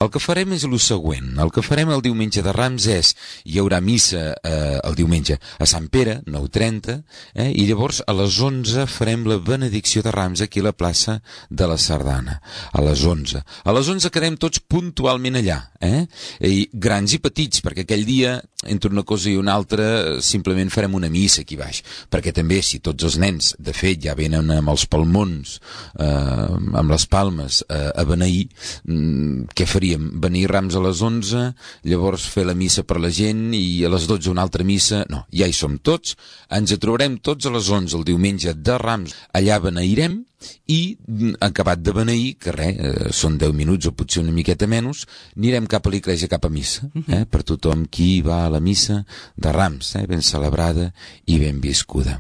El que farem és el següent. El que farem el diumenge de Rams hi haurà missa el diumenge a Sant Pere, 9:30, i llavors a les 11 farem la benedicció de Rams aquí a la plaça de la Sardana. A les 11. A les 11 quedem tots puntualment allà, i grans i petits, perquè aquell dia, entre una cosa i una altra, simplement farem una missa aquí baix, perquè també si tots els nens, de fet, ja venen amb els palmons, amb les palmes, a beneir, què faríem? Beneir Rams a les 11, llavors fer la missa per la gent i a les 12 una altra missa? No, ja hi som tots, ens trobarem tots a les 11 el diumenge de Rams, allà beneirem, i acabat de beneir, que res, són 10 minuts o potser una miqueta menys, anirem cap a l'església, cap a missa, per tothom qui va a la missa de Rams, ben celebrada i ben viscuda.